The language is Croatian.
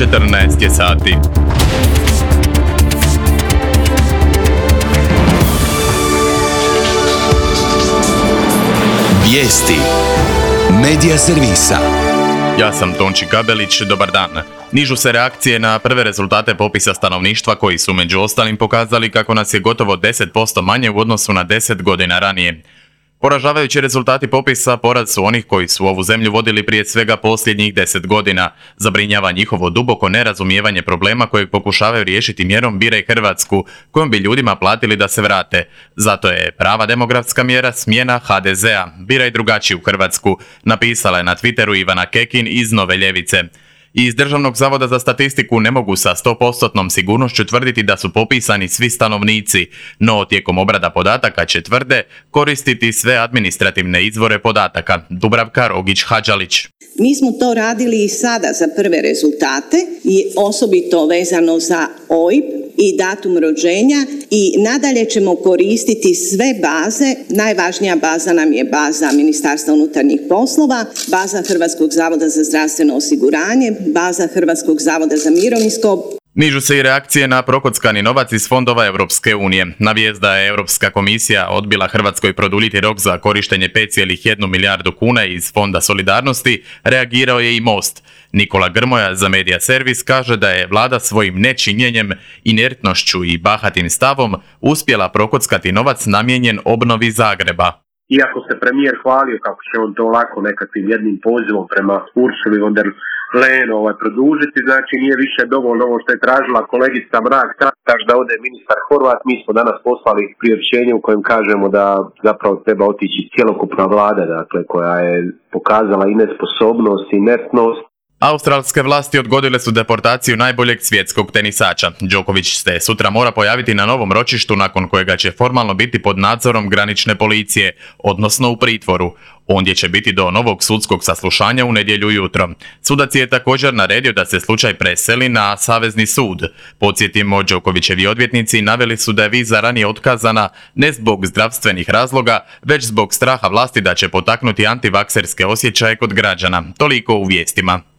14 je sati. Vijesti Medija servisa. Ja sam Tonči Kabelić, dobar dan. Nižu se reakcije na prve rezultate popisa stanovništva koji su među ostalim pokazali kako nas je gotovo 10% manje u odnosu na 10 godina ranije. Poražavajući rezultati popisa poraz su onih koji su ovu zemlju vodili prije svega posljednjih 10 godina. Zabrinjava njihovo duboko nerazumijevanje problema kojeg pokušavaju riješiti mjerom Biraj Hrvatsku, kojom bi ljudima platili da se vrate. Zato je prava demografska mjera smjena HDZ-a, biraj drugačiju Hrvatsku, napisala je na Twitteru Ivana Kekin iz Nove ljevice. Iz Državnog zavoda za statistiku ne mogu sa 100% sigurnošću tvrditi da su popisani svi stanovnici, no tijekom obrada podataka će tvrde koristiti sve administrativne izvore podataka. Dubravka Rogić-Hadžalić. Mi smo to radili i sada za prve rezultate i osobito vezano za OIB i datum rođenja i nadalje ćemo koristiti sve baze. Najvažnija baza nam je baza Ministarstva unutarnjih poslova, baza Hrvatskog zavoda za zdravstveno osiguranje, baza Hrvatskog zavoda za mirovinsko. Nižu se i reakcije na prokockani novac iz fondova Europske unije. Na vijest da je Europska komisija odbila Hrvatskoj produljiti rok za korištenje 5,1 milijardu kuna iz Fonda solidarnosti, reagirao je i Most. Nikola Grmoja za Medija servis kaže da je vlada svojim nečinjenjem, inertnošću i bahatim stavom uspjela prokockati novac namijenjen obnovi Zagreba. Iako se premijer hvalio kako će on to lako nekakvim jednim pozivom prema Ursuli von der Leyen produžiti, znači nije više dovoljno ovo što je tražila kolegica Mrak-Taritaš da ode ministar Horvat. Mi smo danas poslali priopćenje u kojem kažemo da zapravo treba otići cjelokupna vlada, dakle, koja je pokazala i nesposobnost i inertnost. Australske vlasti odgodile su deportaciju najboljeg svjetskog tenisača. Đoković se sutra mora pojaviti na novom ročištu nakon kojega će formalno biti pod nadzorom granične policije, odnosno u pritvoru. Ondje će biti do novog sudskog saslušanja u nedjelju ujutro. Sudac je također naredio da se slučaj preseli na Savezni sud. Podsjetimo, Đokovićevi odvjetnici naveli su da je viza ranije otkazana ne zbog zdravstvenih razloga, već zbog straha vlasti da će potaknuti antivakserske osjećaje kod građana. Toliko u vijestima.